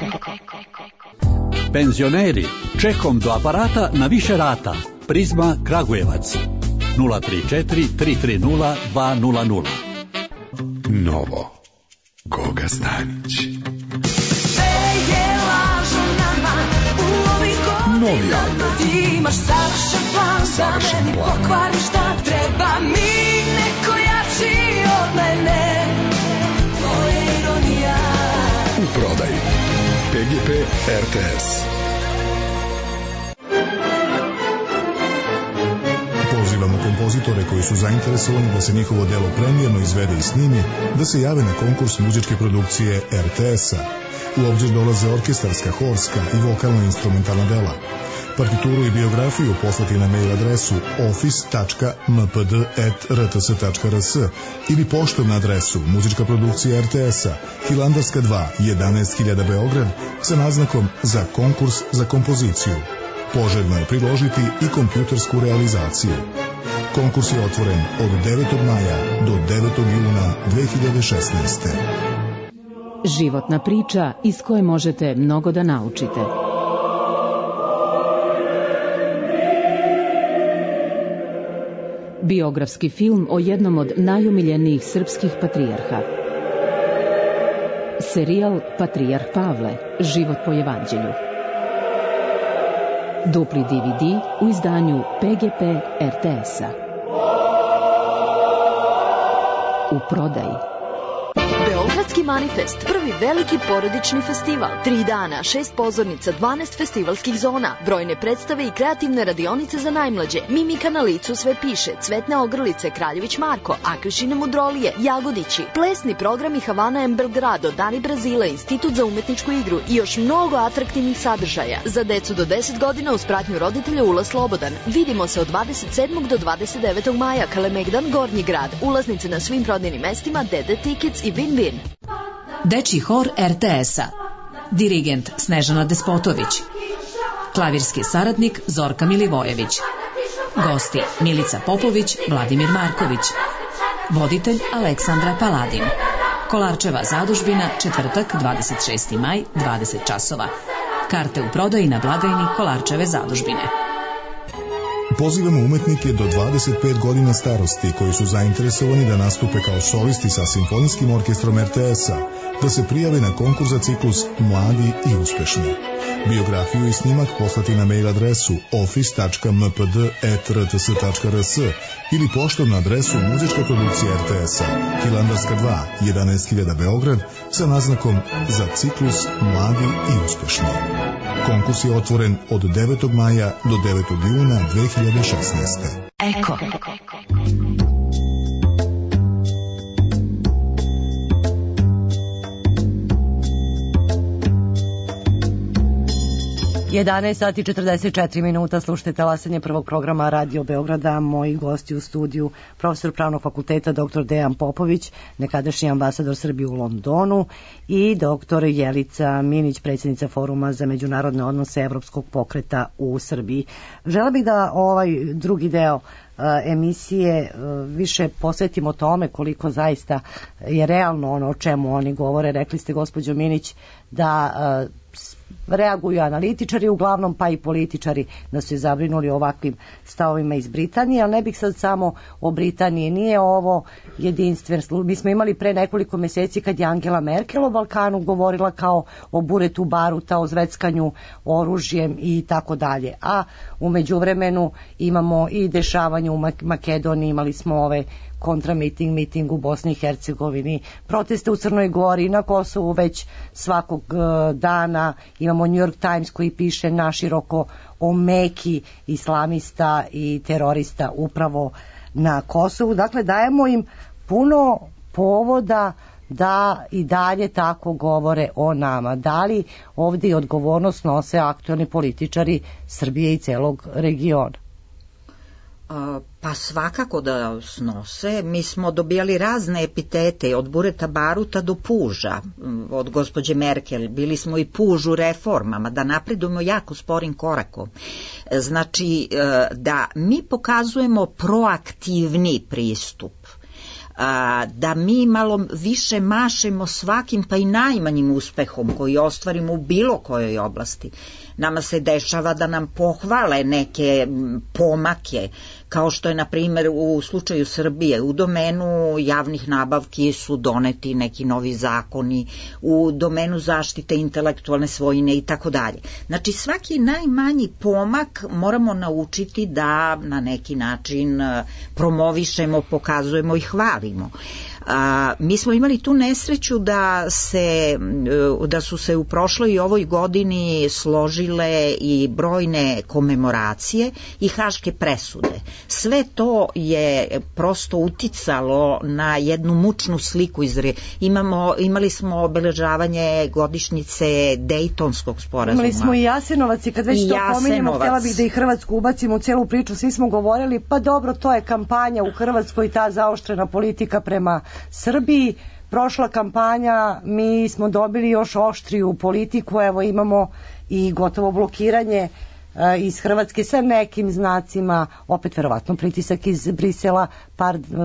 [SPEAKER 7] Penzioneri, čekom do aparata na više rata. Prizma Kragujevac 034 330 200.
[SPEAKER 8] Novo Goga Stanić. Novi album.
[SPEAKER 9] Imaš savršen plan, pokvari šta treba mi, neko jači od mene. To je ironija.
[SPEAKER 8] U prodaji PGP RTS. Pozivamo kompozitore koji su zainteresovani da se njihovo delo premijerno izvede i snimi, da se jave na konkurs muzičke produkcije RTS-a. U obzir dolaze orkestarska, horska i vokalno-instrumentalna dela. Partituru i biografiju poslati na mail adresu office.mpd@rts.rs ili poštom na adresu muzička produkcija RTS-a, Hilandarska 2, 11.000 Beograd, sa naznakom za konkurs za kompoziciju. Poželjno je priložiti i kompjutersku realizaciju. Konkurs je otvoren od 9. maja do 9. juna 2016.
[SPEAKER 10] Životna priča iz koje možete mnogo da naučite. Biografski film o jednom od najomiljenijih srpskih patrijarha. Serijal Patrijarh Pavle, život po evanđelju. Dupli DVD u izdanju PGP RTS-a. U prodaji.
[SPEAKER 11] Beogradski manifest, prvi veliki porodični festival. 3 dana, 6 pozornica, 12 festivalskih zona, brojne predstave i kreativne radionice za najmlađe. Mimika na licu sve piše, Cvetne ogrlice, Kraljević Marko, Akrišine mudrolije, Jagodići, plesni programi Havana M. Belgrado, Dani Brazila, Institut za umetničku igru i još mnogo atraktivnih sadržaja. Za decu do 10 godina uz pratnju roditelja ulaz slobodan. Vidimo se od 27. do 29. maja, Kalemegdan, Gornji grad. Ulaznice na svim prodajnim mestima, DD Tickets i Win-Win.
[SPEAKER 12] Dečji hor RTS-a. Dirigent Snežana Despotović. Klavirski saradnik Zorka Milivojević. Gosti Milica Popović, Vladimir Marković. Voditelj Aleksandra Paladin. Kolarčeva zadužbina, četvrtak 26. maj, 20 časova. Karte u prodaji na blagajni Kolarčeve zadužbine.
[SPEAKER 8] Pozivamo umetnike do 25 godina starosti koji su zainteresovani da nastupe kao solisti sa simfonijskim orkestrom RTS-a, da se prijave na konkurs za ciklus Mladi i uspešni. Biografiju i snimak poslati na mail adresu office.mpd@rts.rs ili poštom na adresu muzička produkcija RTS-a, Hilandarska 2, 11.000 Beograd, sa naznakom za ciklus Mladi i uspešni. Konkurs je otvoren od 9. maja do 9. juna 2016.
[SPEAKER 2] Eko.
[SPEAKER 5] 11 sati 44 minuta, slušajte talasanje prvog programa Radio Beograda. Moji gosti u studiju, profesor Pravnog fakulteta dr. Dejan Popović, nekadašnji ambasador Srbije u Londonu, i dr. Jelica Minić, predsjednica Foruma za međunarodne odnose Evropskog pokreta u Srbiji. Žela bih da ovaj drugi deo emisije više posvetimo tome koliko zaista je realno ono o čemu oni govore. Rekli ste, gospođo Minić, da reaguju analitičari uglavnom, pa i političari, da su se zabrinuli ovakvim stavovima iz Britanije, ali ne bih sad samo o Britaniji. Nije ovo jedinstven slučaj. Mi smo imali pre nekoliko meseci kad je Angela Merkel o Balkanu govorila kao o buretu baruta, o zveckanju oružjem i tako dalje. A u međuvremenu imamo i dešavanje u Makedoniji, imali smo ove kontramiting u Bosni i Hercegovini, proteste u Crnoj Gori, na Kosovu već svakog dana. Imamo New York Times koji piše naširoko o Meki islamista i terorista upravo na Kosovu. Dakle, dajemo im puno povoda da i dalje tako govore o nama. Da li ovdje odgovornost nose aktualni političari Srbije i celog regiona?
[SPEAKER 3] Pa svakako da snose. Mi smo dobijali razne epitete, od bureta baruta do puža od gospođe Merkel. Bili smo i puž u reformama, da napredujemo jako sporim korakom. Znači da mi pokazujemo proaktivni pristup, da mi malo više mašemo svakim pa i najmanjim uspehom koji ostvarimo u bilo kojoj oblasti. Nama se dešava da nam pohvale neke pomake, kao što je na primjer u slučaju Srbije. U domenu javnih nabavki su doneti neki novi zakoni, u domenu zaštite intelektualne svojine i tako dalje. Znači svaki najmanji pomak moramo naučiti da na neki način promovišemo, pokazujemo i hvalimo. Mi smo imali tu nesreću da su se u prošloj i ovoj godini složile i brojne komemoracije i haške presude. Sve to je prosto uticalo na jednu mučnu sliku. Imali smo obeležavanje godišnjice Dejtonskog sporazuma.
[SPEAKER 5] Imali smo i Jasenovac, i kad već to pominjemo, htjela bih da i Hrvatsku ubacimo u celu priču. Svi smo govorili, pa dobro, to je kampanja u Hrvatskoj, ta zaoštrena politika prema Srbiji. Prošla kampanja, mi smo dobili još oštriju politiku, evo imamo i gotovo blokiranje iz Hrvatske sa nekim znacima, opet verovatno pritisak iz Brisela.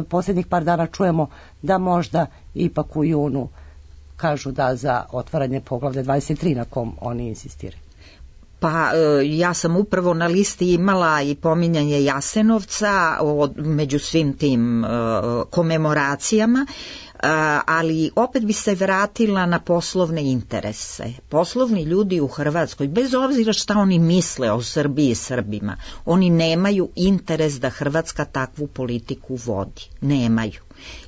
[SPEAKER 5] Posljednjih par dana čujemo da možda ipak u junu kažu da za otvaranje poglavlja 23 na kom oni insistiraju.
[SPEAKER 3] Pa ja sam upravo na listi imala i pominjanje Jasenovca među svim tim komemoracijama, ali opet bi se vratila na poslovne interese. Poslovni ljudi u Hrvatskoj, bez obzira šta oni misle o Srbiji i Srbima, oni nemaju interes da Hrvatska takvu politiku vodi. Nemaju.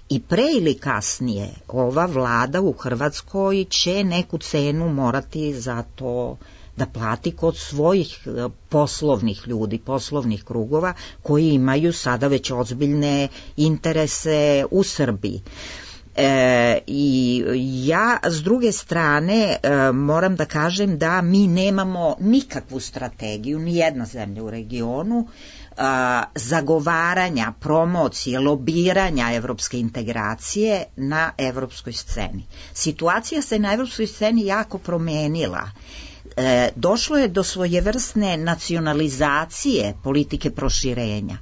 [SPEAKER 3] I pre ili kasnije ova vlada u Hrvatskoj će neku cenu morati za to da plati kod svojih poslovnih ljudi, poslovnih krugova koji imaju sada već ozbiljne interese u Srbiji. I ja s druge strane moram da kažem da mi nemamo nikakvu strategiju, ni jedna zemlja u regionu, zagovaranja, promocije, lobiranja evropske integracije na evropskoj sceni. Situacija se na evropskoj sceni jako promenila. Došlo je do svojevrsne nacionalizacije politike proširenja.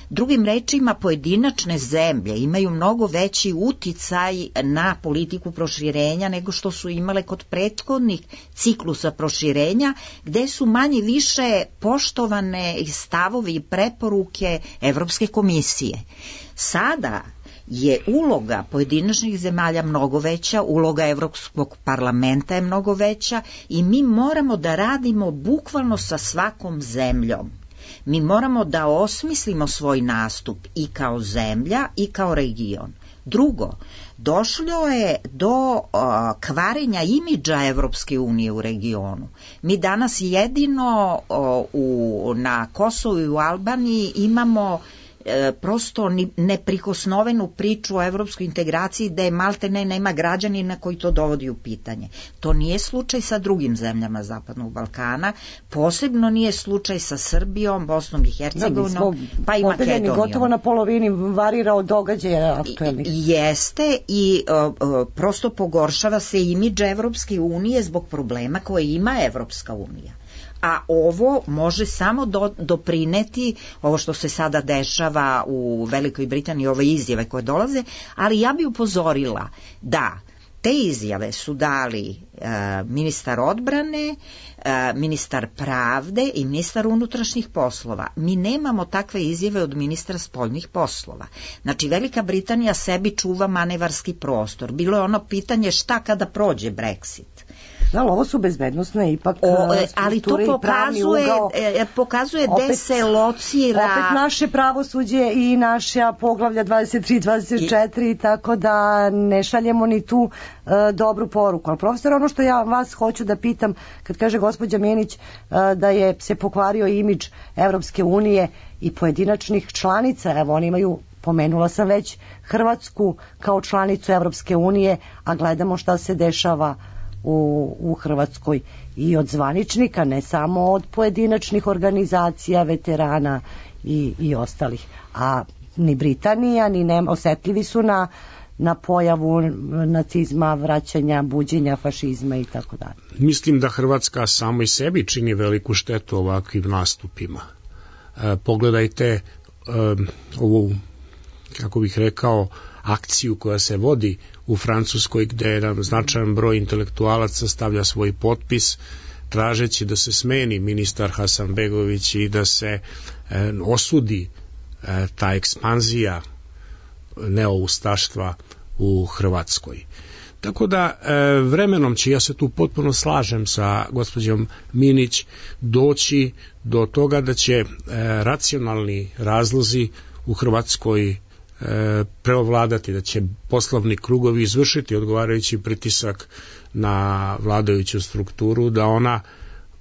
[SPEAKER 3] Drugim rečima, pojedinačne zemlje imaju mnogo veći uticaj na politiku proširenja nego što su imale kod prethodnih ciklusa proširenja, gde su manje više poštovane stavovi i preporuke Evropske komisije. Sada je uloga pojedinačnih zemalja mnogo veća, uloga Evropskog parlamenta je mnogo veća i mi moramo da radimo bukvalno sa svakom zemljom. Mi moramo da osmislimo svoj nastup i kao zemlja i kao region. Drugo, došlo je do kvarenja imidža Evropske unije u regionu. Mi danas jedino na Kosovu i u Albaniji imamo prosto neprikosnovenu priču o evropskoj integraciji da je malte ne nema građanina koji to dovodi u pitanje. To nije slučaj sa drugim zemljama Zapadnog Balkana, posebno nije slučaj sa Srbijom, Bosnom i Hercegovinom, pa i Makedonijom.
[SPEAKER 5] Gotovo na polovini varira od događaja aktuelnih.
[SPEAKER 3] Jeste i prosto pogoršava se imidž Evropske unije zbog problema koje ima Evropska unija. A ovo može samo doprineti, ovo što se sada dešava u Velikoj Britaniji, ove izjave koje dolaze, ali ja bi upozorila da te izjave su dali ministar odbrane, ministar pravde i ministar unutrašnjih poslova. Mi nemamo takve izjave od ministra spoljnih poslova. Znači, Velika Britanija sebi čuva manevarski prostor. Bilo je ono pitanje šta kada prođe Brexit.
[SPEAKER 5] Da, ovo su bezbednosne ipak
[SPEAKER 3] ali to pokazuje gde se locira...
[SPEAKER 5] Opet naše pravosuđe i naša poglavlja 23-24, tako da ne šaljemo ni tu dobru poruku. Ali profesor, ono što ja vas hoću da pitam, kad kaže gospođa Minić da je se pokvario imidž Evropske unije i pojedinačnih članica, evo oni imaju, pomenula sam već, Hrvatsku kao članicu Evropske unije, a gledamo šta se dešava u Hrvatskoj i od zvaničnika, ne samo od pojedinačnih organizacija, veterana i ostalih. A ni Britanija, ni osetljivi su na pojavu nacizma, vraćanja, buđenja fašizma i tako dalje.
[SPEAKER 4] Mislim da Hrvatska samo i sebi čini veliku štetu ovakvim nastupima. Pogledajte ovu, kako bih rekao, akciju koja se vodi u Francuskoj, gde jedan značajan broj intelektualaca stavlja svoj potpis tražeći da se smeni ministar Hasanbegović i da se osudi ta ekspanzija neoustaštva u Hrvatskoj. Tako da vremenom će, ja se tu potpuno slažem sa gospođom Minić, doći do toga da će racionalni razlozi u Hrvatskoj preovladati, da će poslovni krugovi izvršiti odgovarajući pritisak na vladajuću strukturu, da ona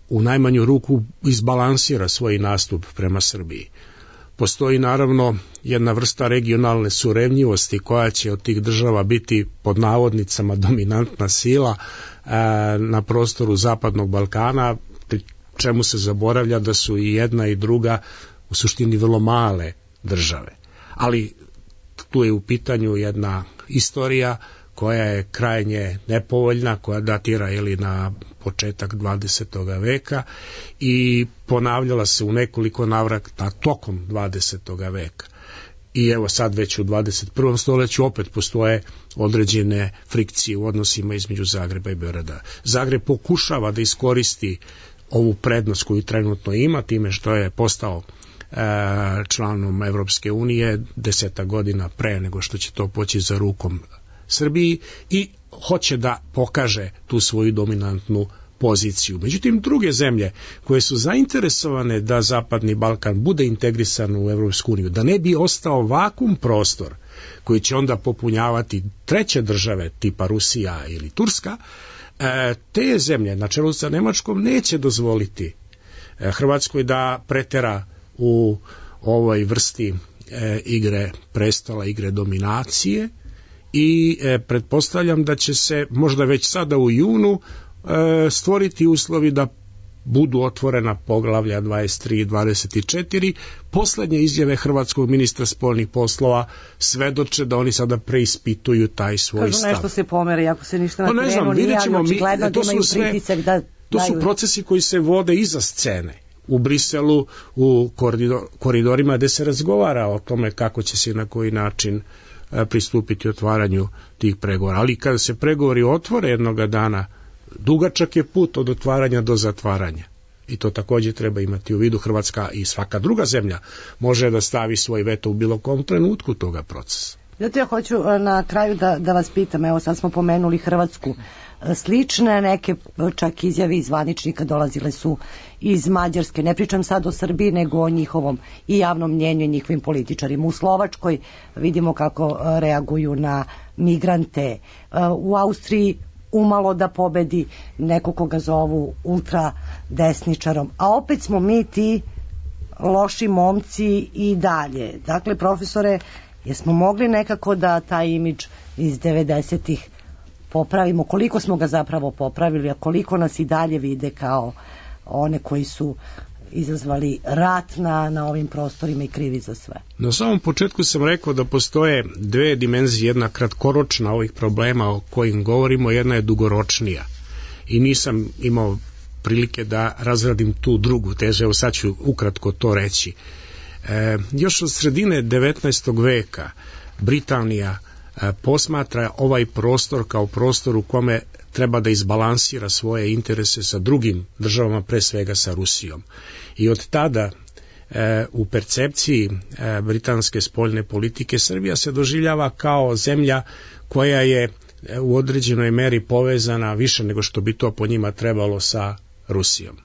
[SPEAKER 4] u najmanju ruku izbalansira svoj nastup prema Srbiji. Postoji naravno jedna vrsta regionalne surevnjivosti koja će od tih država biti pod navodnicama dominantna sila na prostoru Zapadnog Balkana, pri čemu se zaboravlja da su i jedna i druga u suštini vrlo male države. Ali tu je u pitanju jedna istorija koja je krajnje nepovoljna, koja datira na početak 20. veka i ponavljala se u nekoliko navrata tokom 20. veka. I evo sad već u 21. stoljeću opet postoje određene frikcije u odnosima između Zagreba i Beograda. Zagreb pokušava da iskoristi ovu prednost koju trenutno ima time što je postao članom Evropske unije 10 godina pre nego što će to poći za rukom Srbiji i hoće da pokaže tu svoju dominantnu poziciju. Međutim, druge zemlje koje su zainteresovane da Zapadni Balkan bude integrisan u Evropsku uniju, da ne bi ostao vakum prostor koji će onda popunjavati treće države tipa Rusija ili Turska, te zemlje na čelu sa Nemačkom neće dozvoliti Hrvatskoj da pretera u ovoj vrsti igre prestola, igre dominacije i pretpostavljam da će se možda već sada u junu stvoriti uslovi da budu otvorena poglavlja 23 i 24. Poslednje izjave hrvatskog ministra spoljnih poslova svedoče da oni sada preispituju taj svoj stav.
[SPEAKER 5] Kažu nešto se pomere, ako se ništa na terenu nije, ali očigledno da imaju pritisak da
[SPEAKER 4] to su procesi koji se vode iza scene. U Briselu, u koridorima gde se razgovara o tome kako će se i na koji način pristupiti otvaranju tih pregovora. Ali kada se pregovori otvore jednoga dana, dugačak je put od otvaranja do zatvaranja. I to takođe treba imati u vidu. Hrvatska i svaka druga zemlja može da stavi svoj veto u bilo kom trenutku toga procesa.
[SPEAKER 5] Zato ja hoću na kraju da vas pitam, evo sad smo pomenuli Hrvatsku, slične neke čak izjave iz zvaničnika dolazile su iz Mađarske, ne pričam sad o Srbiji nego o njihovom i javnom mnjenju i njihovim političarima. U Slovačkoj vidimo kako reaguju na migrante, u Austriji umalo da pobedi neko koga zovu ultradesničarom, a opet smo mi ti loši momci i dalje. Dakle, profesore, jesmo mogli nekako da taj imidž iz 90-ih popravimo? Koliko smo ga zapravo popravili, a koliko nas i dalje vide kao one koji su izazvali rat na ovim prostorima i krivi za sve?
[SPEAKER 4] Na samom početku sam rekao da postoje dve dimenzije, jedna kratkoročna ovih problema o kojim govorimo, jedna je dugoročnija. I nisam imao prilike da razradim tu drugu tezu, evo sad ću ukratko to reći. Još od sredine 19. veka Britanija posmatra ovaj prostor kao prostor u kome treba da izbalansira svoje interese sa drugim državama, pre svega sa Rusijom. I od tada u percepciji britanske spoljne politike Srbija se doživljava kao zemlja koja je u određenoj meri povezana više nego što bi to po njima trebalo sa Rusijom.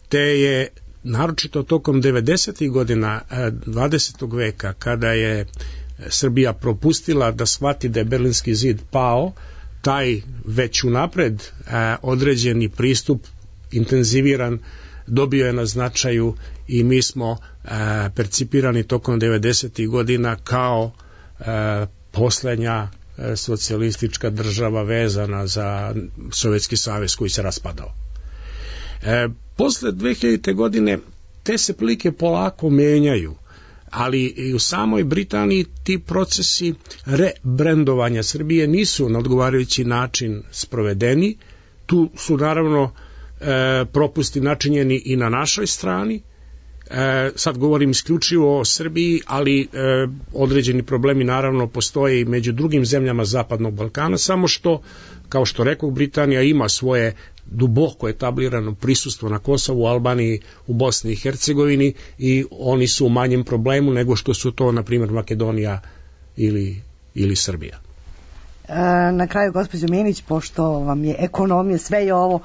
[SPEAKER 4] Te je naročito tokom 90. godina 20. veka, kada je Srbija propustila da shvati da je Berlinski zid pao, taj već unapred određeni pristup intenziviran dobio je na značaju i mi smo percipirani tokom 90. godina kao poslednja socijalistička država vezana za Sovjetski savez koji se raspadao. Posle 2000. godine te se prilike polako menjaju, ali i u samoj Britaniji ti procesi rebrandovanja Srbije nisu na odgovarajući način sprovedeni. Tu su naravno propusti načinjeni i na našoj strani. Sad govorim isključivo o Srbiji, ali određeni problemi naravno postoje i među drugim zemljama Zapadnog Balkana, samo što, kao što rekao, Britanija ima svoje duboko etablirano prisustvo na Kosovu, Albaniji, u Bosni i Hercegovini i oni su u manjem problemu nego što su to, na primjer, Makedonija ili Srbija.
[SPEAKER 5] Na kraju, gospođo Minić, pošto vam je ekonomija, sve je ovo,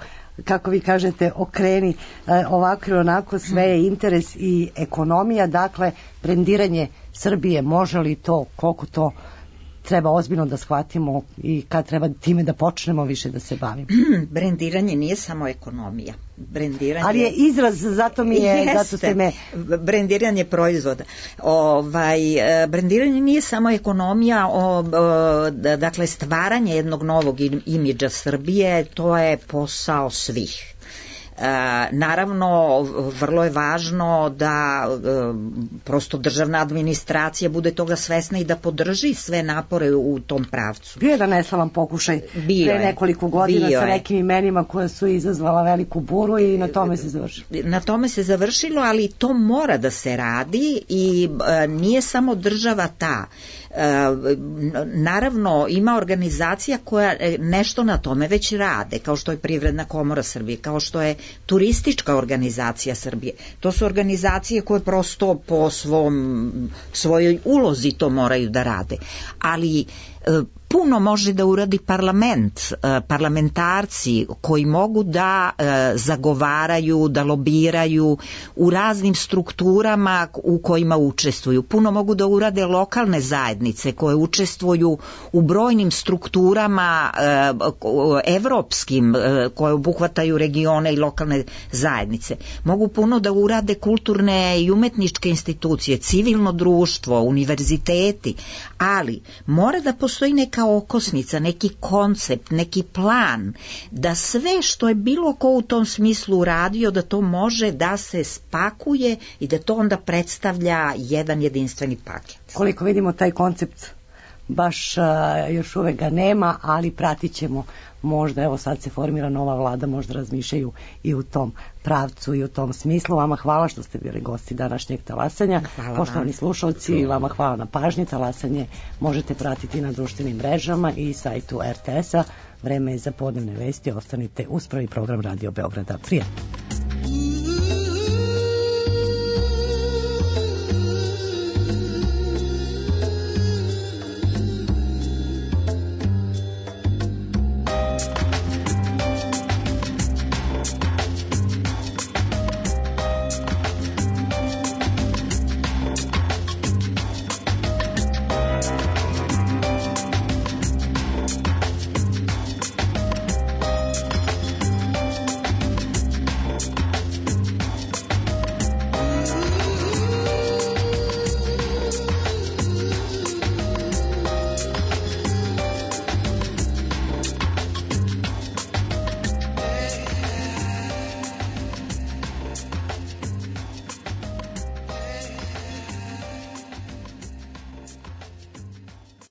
[SPEAKER 5] kako vi kažete, okreni ovako ili onako, sve je interes i ekonomija, dakle, brendiranje Srbije, može li to, koliko to treba ozbiljno da shvatimo i kad treba time da počnemo više da se bavimo?
[SPEAKER 3] Brendiranje nije samo ekonomija.
[SPEAKER 5] Ali je izraz, zato mi je, zato ste me...
[SPEAKER 3] Brendiranje proizvoda. Brendiranje nije samo ekonomija, dakle stvaranje jednog novog imidža Srbije, to je posao svih. Naravno, vrlo je važno da prosto državna administracija bude toga svesna i da podrži sve napore u tom pravcu.
[SPEAKER 5] Bio je da neslavan pokušaj pre nekoliko godina sa nekim imenima koja su izazvala veliku buru i na tome se završilo.
[SPEAKER 3] Na tome se završilo, ali to mora da se radi i nije samo država ta. Naravno, ima organizacija koja nešto na tome već rade, kao što je Privredna komora Srbije, kao što je Turistička organizacija Srbije. To su organizacije koje prosto po svojoj ulozi to moraju da rade. Ali puno može da uradi parlamentarci koji mogu da zagovaraju, da lobiraju u raznim strukturama u kojima učestvuju. Puno mogu da urade lokalne zajednice koje učestvuju u brojnim strukturama evropskim koje obuhvataju regione i lokalne zajednice. Mogu puno da urade kulturne i umetničke institucije, civilno društvo, univerziteti, ali mora da postoji neka okosnica, neki koncept, neki plan, da sve što je bilo ko u tom smislu uradio, da to može da se spakuje i da to onda predstavlja jedan jedinstveni paket.
[SPEAKER 5] Koliko vidimo, taj koncept baš još uvek ga nema, ali pratit ćemo. Možda, evo sad se formira nova vlada, možda razmišljaju i u tom pravcu i u tom smislu. Vama hvala što ste bili gosti današnjeg talasanja. Poštovani slušalci, vama hvala na pažnji. Talasanje možete pratiti na društvenim mrežama i sajtu RTS-a. Vreme je za podnevne vesti. Ostanite uz prvi program Radio Beograda. Prijatno.